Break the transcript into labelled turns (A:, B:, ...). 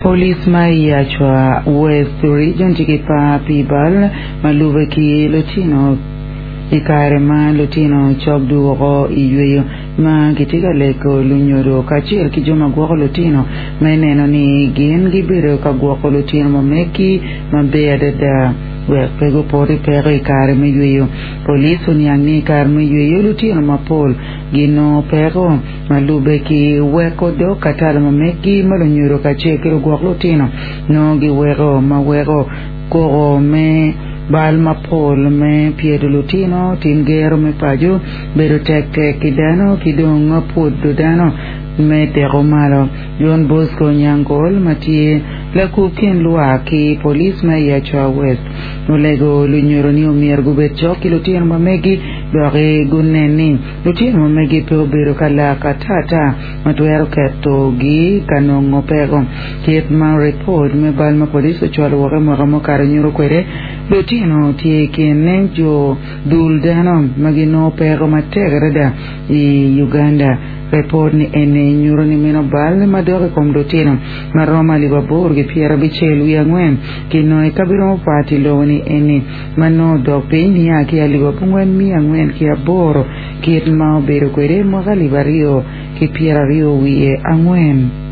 A: Police ma i Acwa West Region tye ki par pi bal ma lube ki lutino i kare ma lutino cok dwoko i yweyo ma gitye ka lego lunyodo kacel ki jo ma gwoko lutino me neno ni gin gibedo ka gwoko lutino ma megi maber adada wek pe gupot i peko i kare me yweyo. Police oniang ni i kare me yweyo lutino mapol ginongo peko Ma lubbe ki weko dog katalo ma meggi ma lunyodo kacel ki lugwok lutino nongo giweko ma weko koko me bal mapol me pyedo lutino, tim gero me paco, bedo tek tek ki dano ki dong pwodo dano me teko malo. John Bosco Nyangol ma tye lakub kin lwak ki police ma i Acwa West olego lunyodo ni omyero gubed cok ki lutino ma meggi doki gunen ni Lutino ma megi pe obedo ka lak atata ma twero ketogi ka nongo peko. Kit ma ripot me bal ma police ocwalo woko i mwaka mukato nyuto kwede, lutino tye i kin jo dul dano ma ginongo peko matek adada i Uganda. Ripot ni eni nyuto ni meno bal madok i kom lutino ma romo alip aboro ki pyerabicel wiye angwen kinongo i kabedo mapat i lobo ni eni. ma nongo odok piny nia ki alip 44 kit ma obedo kwede i mwaka 2024.